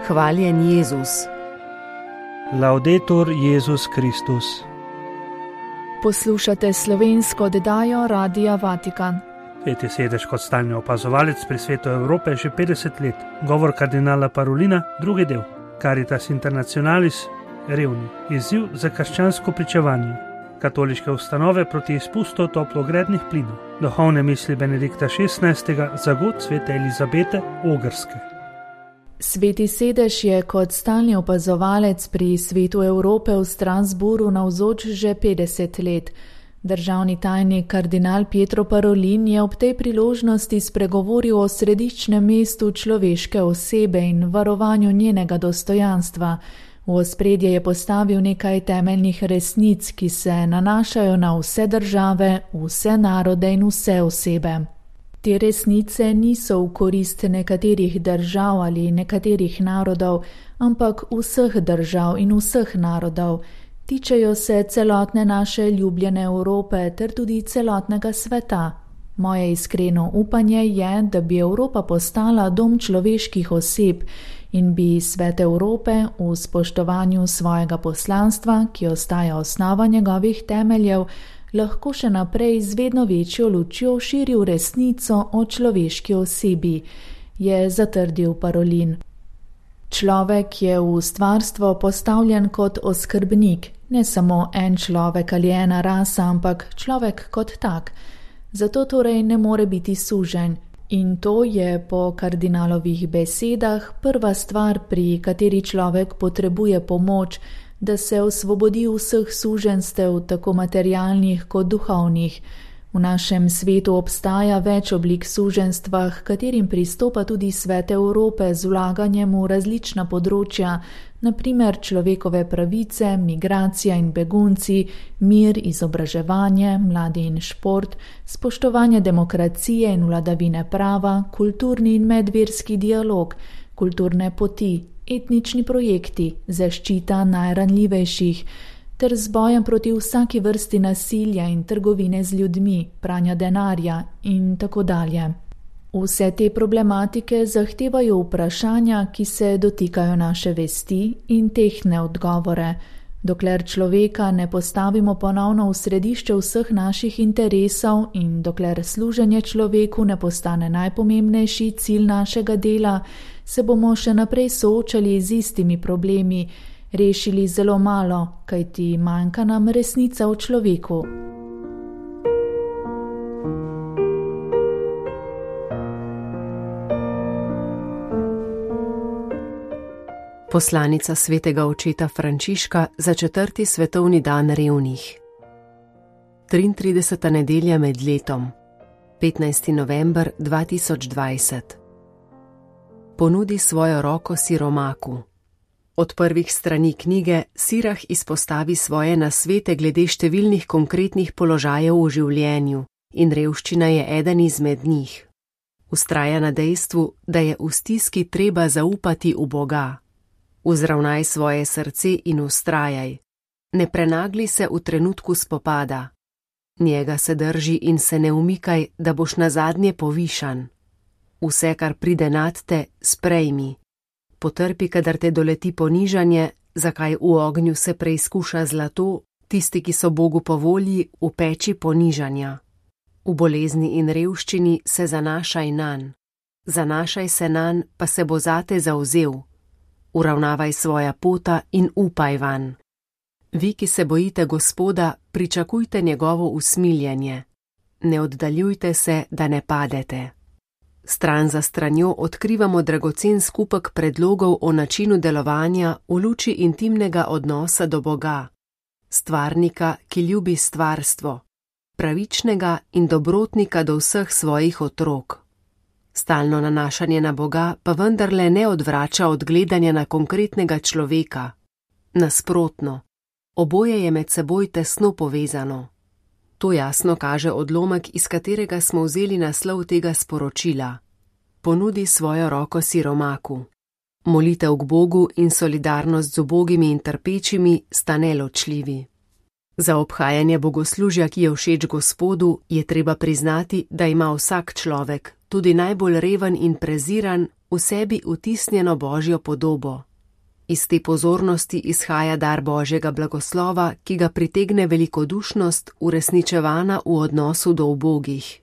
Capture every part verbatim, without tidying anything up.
Hvaljen Jezus. Laudetur Jezus Kristus. Poslušate slovensko oddajo Radia Vatikan. Sveti sedež kot stalni opazovalec pri Svetu Evrope že petdeset let. Govor kardinala Parolina, drugi del. Caritas Internationalis, revni. Izziv za krščansko pričevanje. Katoliške ustanove proti izpustu toplogrednih plinov. Duhovne misli Benedikta šestnajstega za god svete Elizabete Ogrske. Sveti sedež je kot stalni opazovalec pri Svetu Evrope v Strasbourgu navzoč že petdeset let. Državni tajnik kardinal Pietro Parolin je ob tej priložnosti spregovoril o središčnem mestu človeške osebe in varovanju njenega dostojanstva. V ospredje je postavil nekaj temeljnih resnic, ki se nanašajo na vse države, vse narode in vse osebe. Te resnice niso v korist nekaterih držav ali nekaterih narodov, ampak vseh držav in vseh narodov. Tičejo se celotne naše ljubljene Evrope ter tudi celotnega sveta. Moje iskreno upanje je, da bi Evropa postala dom človeških oseb in bi Svet Evrope v spoštovanju svojega poslanstva, ki ostaja osnova njegovih temeljev, lahko še naprej z vedno večjo lučjo širil resnico o človeški osebi, je zatrdil Parolin. Človek je v stvarstvo postavljen kot oskrbnik, ne samo en človek ali ena rasa, ampak človek kot tak. Zato torej ne more biti suženj. In to je po kardinalovih besedah prva stvar, pri kateri človek potrebuje pomoč, da se osvobodi vseh suženjstev, tako materialnih kot duhovnih. V našem svetu obstaja več oblik suženjstva, h katerim pristopa tudi Svet Evrope z vlaganjem v različna področja, na primer človekove pravice, migracija in begunci, mir, izobraževanje, mladi in šport, spoštovanje demokracije in vladavine prava, kulturni in medverski dialog, kulturne poti, etnični projekti, zaščita najranljivejših, ter z bojem proti vsaki vrsti nasilja in trgovine z ljudmi, pranja denarja in tako dalje. Vse te problematike zahtevajo vprašanja, ki se dotikajo naše vesti in tehtne odgovore. Dokler človeka ne postavimo ponovno v središče vseh naših interesov in dokler služenje človeku ne postane najpomembnejši cilj našega dela, se bomo še naprej soočali z istimi problemi, rešili zelo malo, kajti manjka nam resnica o človeku. Poslanica svetega očeta Frančiška za četrti svetovni dan revnih. triintrideseta nedelja med letom, petnajsti november dva tisoč dvajset. Ponudi svojo roko siromaku. Od prvih strani knjige Sirah izpostavi svoje nasvete glede številnih konkretnih položajev v življenju in revščina je eden izmed njih. Vztraja na dejstvu, da je v stiski treba zaupati v Boga. Vzravnaj svoje srce in vztrajaj. Ne prenagli se v trenutku spopada. Njega se drži in se ne umikaj, da boš nazadnje povišan. Vse, kar pride nad te, sprejmi. Potrpi, kadar te doleti ponižanje, zakaj v ognju se preizkuša zlato, tisti, ki so Bogu po volji, v peči ponižanja. V bolezni in revščini se zanašaj nanj. Zanašaj se nanj, pa se bo zate zavzel. Uravnavaj svoja pota in upaj vanj. Vi, ki se bojite Gospoda, pričakujte njegovo usmiljenje. Ne oddaljujte se, da ne padete. Stran za stranjo odkrivamo dragocen skupek predlogov o načinu delovanja v luči intimnega odnosa do Boga, stvarnika, ki ljubi stvarstvo, pravičnega in dobrotnika do vseh svojih otrok. Stalno nanašanje na Boga pa vendarle ne odvrača od gledanja na konkretnega človeka. Nasprotno, oboje je med seboj tesno povezano. To jasno kaže odlomek, iz katerega smo vzeli naslov tega sporočila. Ponudi svojo roko siromaku. Molitev k Bogu in solidarnost z ubogimi in trpečimi sta neločljivi. Za obhajanje bogoslužja, ki je všeč Gospodu, je treba priznati, da ima vsak človek, tudi najbolj reven in preziran, v sebi vtisnjeno Božjo podobo. Iz te pozornosti izhaja dar Božjega blagoslova, ki ga pritegne velikodušnost, uresničevana v odnosu do ubogih.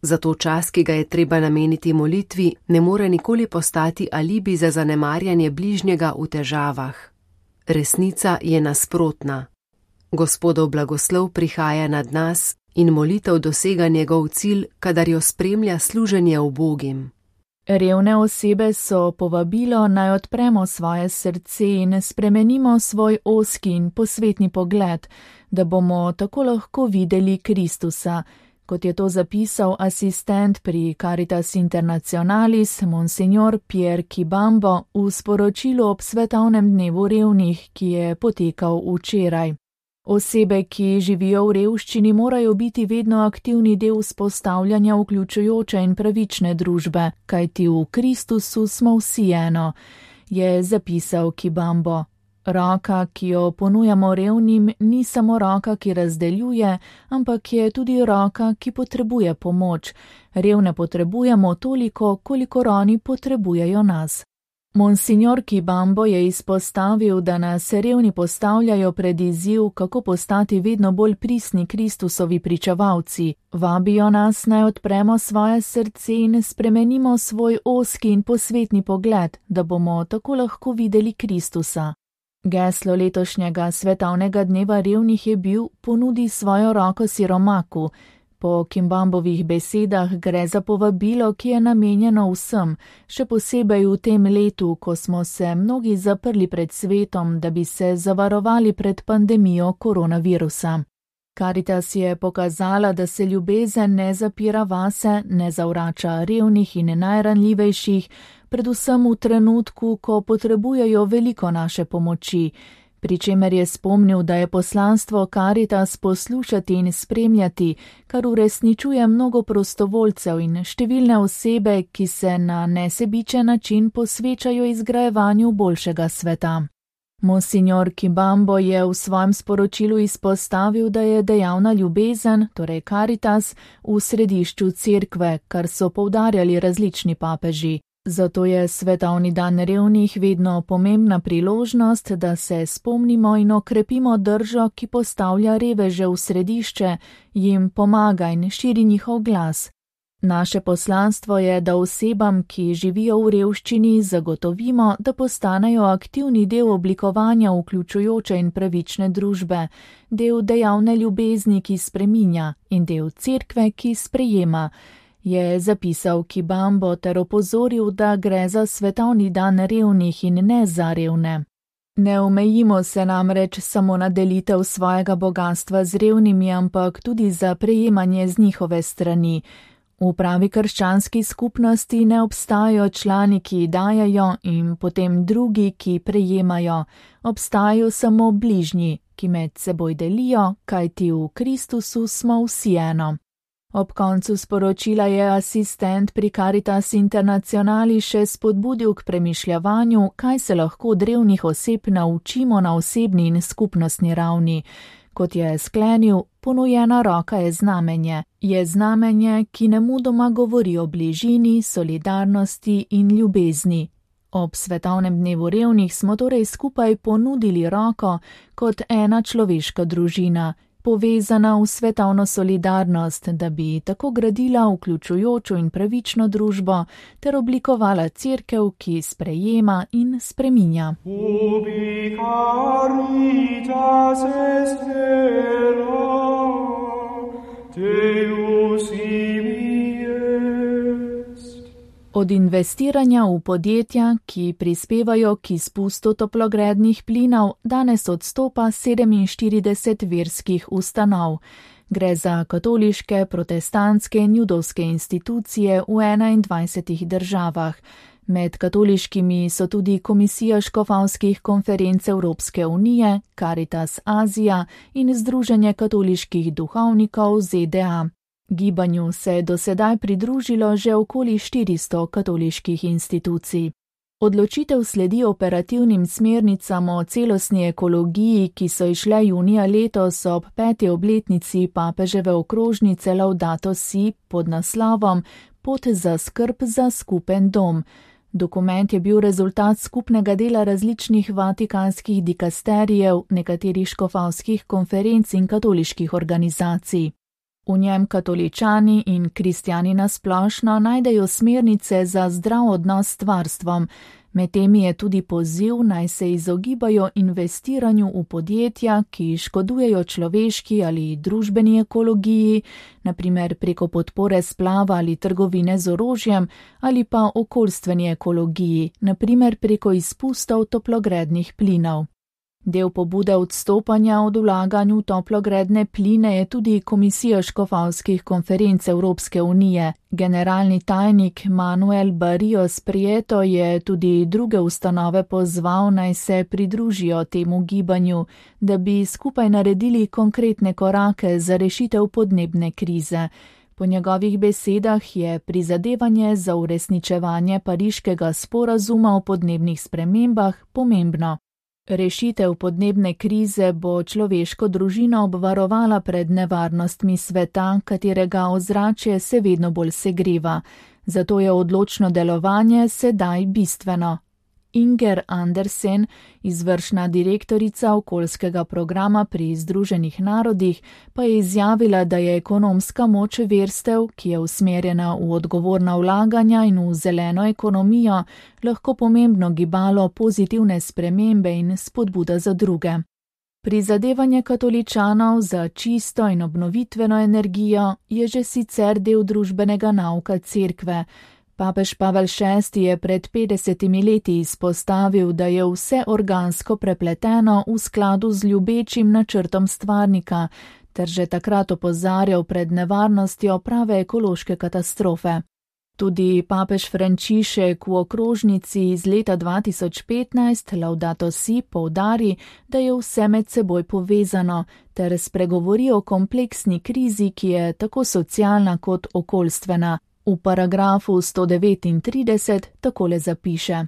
Zato čas, ki ga je treba nameniti molitvi, ne more nikoli postati alibi za zanemarjanje bližnjega v težavah. Resnica je nasprotna. Gospodov blagoslov prihaja nad nas in molitev dosega njegov cilj, kadar jo spremlja služenje ubogim. Revne osebe so povabilo, naj odpremo svoje srce in spremenimo svoj ozki in posvetni pogled, da bomo tako lahko videli Kristusa, kot je to zapisal asistent pri Caritas Internationalis, monsignor Pierre Kibambo, v sporočilu ob svetovnem dnevu revnih, ki je potekal včeraj. Osebe, ki živijo v revščini, morajo biti vedno aktivni del vzpostavljanja vključujoče in pravične družbe, kajti v Kristusu smo vsi eno, je zapisal Kibambo. Roka, ki jo ponujamo revnim, ni samo roka, ki razdeljuje, ampak je tudi roka, ki potrebuje pomoč. Revne potrebujemo toliko, kolikor oni potrebujejo nas. Monsignor Kibambo je izpostavil, da nas revni postavljajo pred izziv, kako postati vedno bolj pristni Kristusovi pričevalci. Vabijo nas, naj odpremo svoje srce in spremenimo svoj ozki in posvetni pogled, da bomo tako lahko videli Kristusa. Geslo letošnjega svetovnega dneva revnih je bil ponudi svojo roko siromaku. Po Kibambovih besedah gre za povabilo, ki je namenjeno vsem, še posebej v tem letu, ko smo se mnogi zaprli pred svetom, da bi se zavarovali pred pandemijo koronavirusa. Caritas je pokazala, da se ljubezen ne zapira vase, ne zavrača revnih in najranljivejših, predvsem v trenutku, ko potrebujejo veliko naše pomoči, pri čemer je spomnil, da je poslanstvo Caritas poslušati in spremljati, kar uresničuje mnogo prostovoljcev in številne osebe, ki se na nesebičen način posvečajo izgrajevanju boljšega sveta. Monsignor Kibambo je v svojem sporočilu izpostavil, da je dejavna ljubezen, torej Caritas, v središču cerkve, kar so poudarjali različni papeži. Zato je svetovni dan revnih vedno pomembna priložnost, da se spomnimo in okrepimo držo, ki postavlja reveže v središče, jim pomaga in širi njihov glas. Naše poslanstvo je, da osebam, ki živijo v revščini, zagotovimo, da postanejo aktivni del oblikovanja vključujoče in pravične družbe, del dejavne ljubezni, ki spreminja, in del cerkve, ki sprejema, je zapisal Kibambo ter opozoril, da gre za svetovni dan revnih in ne za revne. Ne omejimo se namreč samo na delitev svojega bogastva z revnimi, ampak tudi za prejemanje z njihove strani. V pravi krščanski skupnosti ne obstajajo člani, ki dajajo in potem drugi, ki prejemajo. Obstajajo samo bližnji, ki med seboj delijo, kajti v Kristusu smo vsi eno. Ob koncu sporočila je asistent pri Caritas Internationalis še spodbudil k premišljavanju, kaj se lahko od revnih oseb naučimo na osebni in skupnostni ravni. Kot je sklenil, ponujena roka je znamenje. Je znamenje, ki nemudoma govori o bližini, solidarnosti in ljubezni. Ob svetovnem dnevu revnih smo torej skupaj ponudili roko kot ena človeška družina, povezana v svetovno solidarnost, da bi tako gradila vključujočo in pravično družbo ter oblikovala cerkev, ki sprejema in spreminja. Ubi caritas est vera, Deus ibi est. Od investiranja v podjetja, ki prispevajo k izpustu toplogrednih plinov, danes odstopa sedeminštirideset verskih ustanov. Gre za katoliške, protestantske in judovske institucije v enaindvajsetih državah. Med katoliškimi so tudi Komisija škofovskih konferenc Evropske unije, Caritas Azija in Združenje katoliških duhovnikov Z D A. Gibanju se je do sedaj pridružilo že okoli štiristo katoliških institucij. Odločitev sledi operativnim smernicam o celostni ekologiji, ki so išle junija letos ob peti obletnici papeževe okrožnice Laudato Si pod naslovom Pot za skrb za skupen dom. Dokument je bil rezultat skupnega dela različnih vatikanskih dikasterijev, nekaterih škofovskih konferenc in katoliških organizacij. V njem katoličani in kristjani nasplošno najdejo smernice za zdrav odnos s stvarstvom, med temi je tudi poziv, naj se izogibajo investiranju v podjetja, ki škodujejo človeški ali družbeni ekologiji, na primer preko podpore splava ali trgovine z orožjem, ali pa okoljstveni ekologiji, na primer preko izpustov toplogrednih plinov. Del pobude odstopanja od vlaganj v toplogredne pline je tudi Komisija škofovskih konferenc Evropske unije. Generalni tajnik Manuel Barrios Prieto je tudi druge ustanove pozval, naj se pridružijo temu gibanju, da bi skupaj naredili konkretne korake za rešitev podnebne krize. Po njegovih besedah je prizadevanje za uresničevanje pariškega sporazuma o podnebnih spremembah pomembno. Rešitev podnebne krize bo človeško družino obvarovala pred nevarnostmi sveta, katerega ozračje se vedno bolj segreva. Zato je odločno delovanje sedaj bistveno. Inger Andersen, izvršna direktorica okoljskega programa pri Združenih narodih, pa je izjavila, da je ekonomska moč verstev, ki je usmerjena v odgovorna vlaganja in v zeleno ekonomijo, lahko pomembno gibalo pozitivne spremembe in spodbuda za druge. Prizadevanje katoličanov za čisto in obnovitveno energijo je že sicer del družbenega nauka cerkve. Papež Pavel šesti je pred petdesetimi leti izpostavil, da je vse organsko prepleteno v skladu z ljubečim načrtom stvarnika, ter že takrat opozarjal pred nevarnostjo prave ekološke katastrofe. Tudi papež Frančišek v okrožnici iz leta dva tisoč petnajst Laudato Si poudari, da je vse med seboj povezano, ter spregovori o kompleksni krizi, ki je tako socialna kot okoljstvena. V paragrafu sto devetintrideset takole zapiše: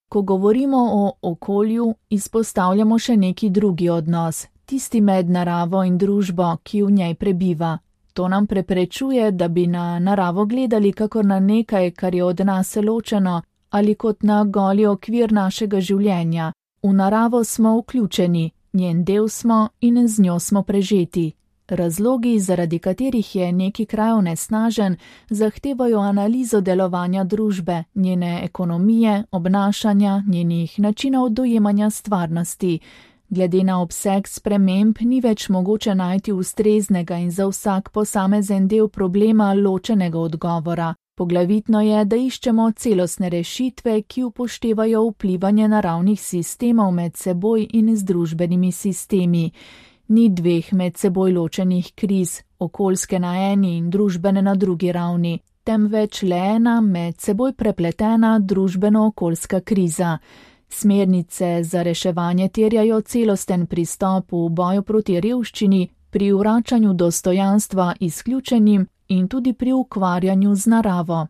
Ko govorimo o okolju, izpostavljamo še neki drugi odnos, tisti med naravo in družbo, ki v njej prebiva. To nam preprečuje, da bi na naravo gledali kakor na nekaj, kar je od nas ločeno, ali kot na goli okvir našega življenja. V naravo smo vključeni, njen del smo in z njo smo prežeti. Razlogi, zaradi katerih je neki kraj onesnažen, zahtevajo analizo delovanja družbe, njene ekonomije, obnašanja, njenih načinov dojemanja stvarnosti. Glede na obseg sprememb ni več mogoče najti ustreznega in za vsak posamezen del problema ločenega odgovora. Poglavitno je, da iščemo celostne rešitve, ki upoštevajo vplivanje naravnih sistemov med seboj in z družbenimi sistemi. Ni dveh med seboj ločenih kriz, okoljske na eni in družbene na drugi ravni, temveč le ena med seboj prepletena družbeno-okoljska kriza. Smernice za reševanje terjajo celosten pristop v boju proti revščini, pri vračanju dostojanstva izključenim in tudi pri ukvarjanju z naravo.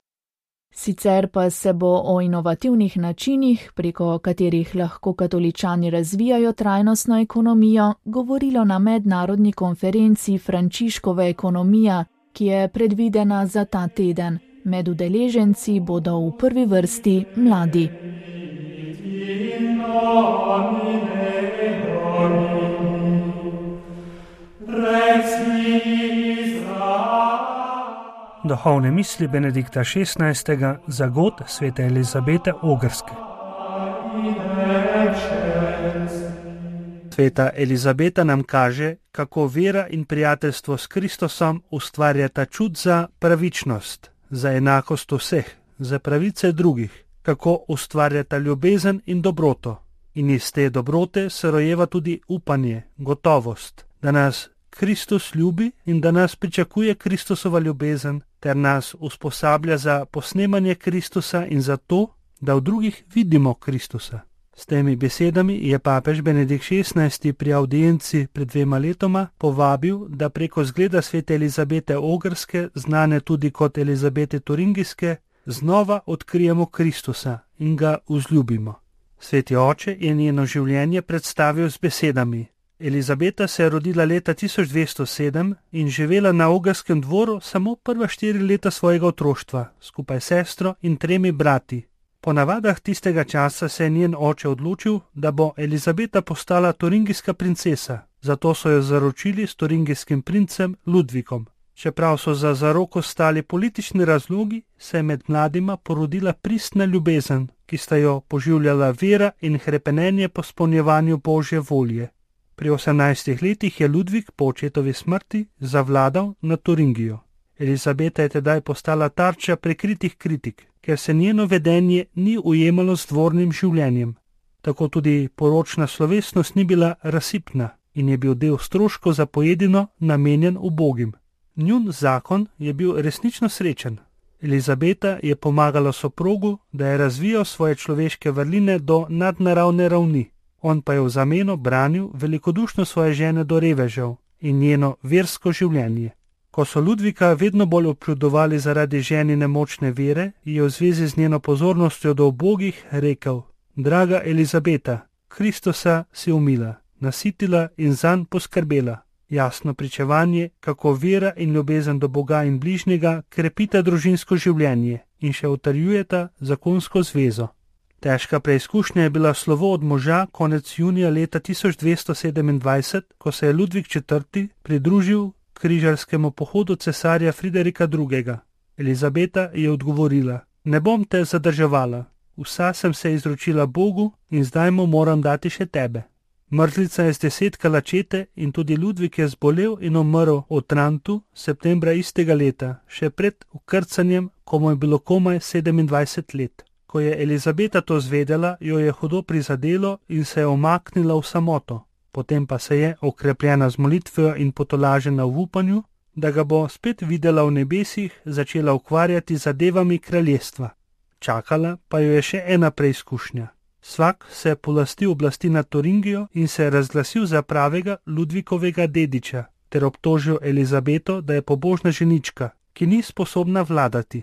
Sicer pa se bo o inovativnih načinih, preko katerih lahko katoličani razvijajo trajnostno ekonomijo, govorilo na mednarodni konferenci Frančiškova ekonomija, ki je predvidena za ta teden. Med udeleženci bodo v prvi vrsti mladi. Duhovne misli Benedikta šestnajstega za god svete Elizabete Ogrske. Sveta Elizabeta nam kaže, kako vera in prijateljstvo s Kristusom ustvarjata čut za pravičnost, za enakost vseh, za pravice drugih, kako ustvarjata ljubezen in dobroto. In iz te dobrote se rojeva tudi upanje, gotovost, da nas Kristus ljubi in da nas pričakuje Kristusova ljubezen, ter nas usposablja za posnemanje Kristusa in za to, da v drugih vidimo Kristusa. S temi besedami je papež Benedikt šestnajsti pri audienci pred dvema letoma povabil, da preko zgleda svete Elizabete Ogrske, znane tudi kot Elizabete Turingijske, znova odkrijemo Kristusa in ga vzljubimo. Sveti oče je njeno življenje predstavil z besedami: Elizabeta se je rodila leta tisoč dvesto sedem in živela na Ogrskem dvoru samo prva štiri leta svojega otroštva, skupaj s sestro in tremi brati. Po navadah tistega časa se je njen oče odločil, da bo Elizabeta postala turingijska princesa, zato so jo zaročili s turingijskim princem Ludvikom. Čeprav so za zaroko stali politični razlogi, se je med mladima porodila pristna ljubezen, ki sta jo poživljala vera in hrepenenje po spolnjevanju Božje volje. Pri osemnajstih letih je Ludvik po očetovi smrti zavladal nad Turingijo. Elizabeta je tedaj postala tarča prikritih kritik, ker se njeno vedenje ni ujemalo z dvornim življenjem. Tako tudi poročna slovesnost ni bila razsipna in je bil del stroškov za pojedino namenjen ubogim. Njun zakon je bil resnično srečen. Elizabeta je pomagala soprogu, da je razvijal svoje človeške vrline do nadnaravne ravni. On pa je v zameno branil velikodušno svoje žene do revežev in njeno versko življenje. Ko so Ludvika vedno bolj občudovali zaradi ženine močne vere, je v zvezi z njeno pozornostjo do ubogih rekel: Draga Elizabeta, Kristusa si umila, nasitila in zanj poskrbela. Jasno pričevanje, kako vera in ljubezen do Boga in bližnjega krepita družinsko življenje in še utrjujeta zakonsko zvezo. Težka preizkušnja je bila slovo od moža konec junija leta tisoč dvesto sedemindvajset, ko se je Ludvik četrti pridružil križarskemu pohodu cesarja Friderika drugega. Elizabeta je odgovorila: Ne bom te zadrževala, vsa sem se izročila Bogu in zdaj mu moram dati še tebe. Mrzlica je zdesetkala čete in tudi Ludvik je zbolel in umrl v Otrantu septembra istega leta, še pred ukrcanjem, ko mu je bilo komaj sedemindvajset let. Ko je Elizabeta to zvedela, jo je hudo prizadelo in se je omaknila v samoto. Potem pa se je, okrepljena z molitvijo in potolažena v upanju, da ga bo spet videla v nebesih, začela ukvarjati zadevami kraljestva. Čakala pa jo je še ena preizkušnja. Svak se je polastil oblasti nad Turingijo in se je razglasil za pravega Ludvikovega dediča, ter obtožil Elizabeto, da je pobožna ženička, ki ni sposobna vladati.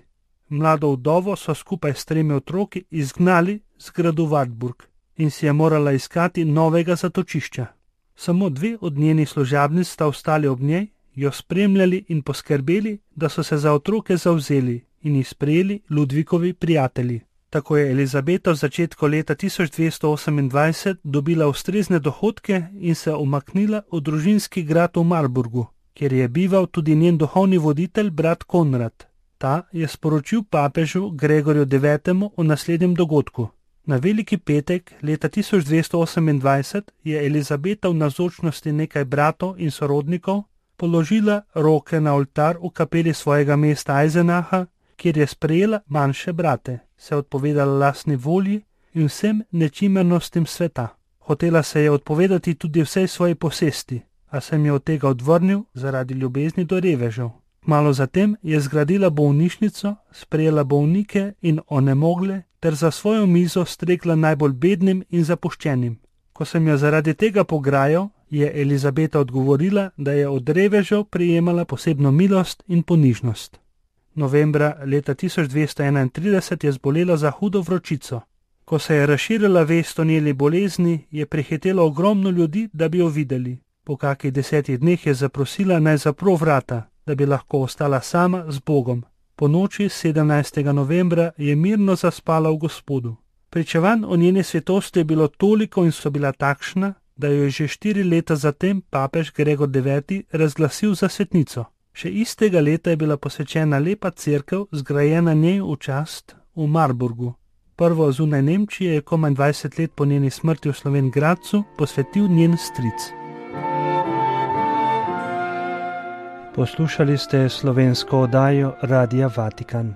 Mlado vdovo so skupaj s tremi otroki izgnali z gradu Wartburg in si je morala iskati novega zatočišča. Samo dve od njenih služabnic sta ostali ob njej, jo spremljali in poskrbeli, da so se za otroke zavzeli in jih sprejeli Ludvikovi prijatelji. Tako je Elizabeta v začetku leta tisoč dvesto osemindvajset dobila ustrezne dohodke in se umaknila v družinski grad v Marburgu, kjer je bival tudi njen duhovni voditelj brat Konrad. Ta je sporočil papežu Gregorju devetemu o naslednjem dogodku. Na veliki petek leta tisoč dvesto osemindvajset je Elizabeta v navzočnosti nekaj bratov in sorodnikov položila roke na oltar v kapeli svojega mesta Eisenacha, kjer je sprejela manjše brate, se odpovedala lastni volji in vsem nečimernostim sveta. Hotela se je odpovedati tudi vsej svoji posesti, a se jim je od tega odvrnil zaradi ljubezni do revežev. Malo zatem je zgradila bolnišnico, sprejela bolnike in onemogle ter za svojo mizo stregla najbolj bednim in zapuščenim. Ko sem jo zaradi tega pograjal, je Elizabeta odgovorila, da je od revežev prijemala posebno milost in ponižnost. Novembra leta tisoč dvesto enaintrideset je zbolela za hudo vročico. Ko se je razširila vest o njeni bolezni, je prihitelo ogromno ljudi, da bi jo videli. Po kakih desetih dneh je zaprosila, naj zapro vrata, da bi lahko ostala sama z Bogom. Po noči sedemnajstega novembra je mirno zaspala v Gospodu. Pričevanj o njeni svetosti je bilo toliko in so bila takšna, da jo je že štiri leta zatem papež Gregor deveti razglasil za svetnico. Še istega leta je bila posvečena lepa cerkev, zgrajena njej v čast v Marburgu. Prvo zunaj Nemčije je komaj dvajset let po njeni smrti v Slovenj Gradcu posvetil njen stric. Poslušali ste slovensko oddajo Radia Vatikan.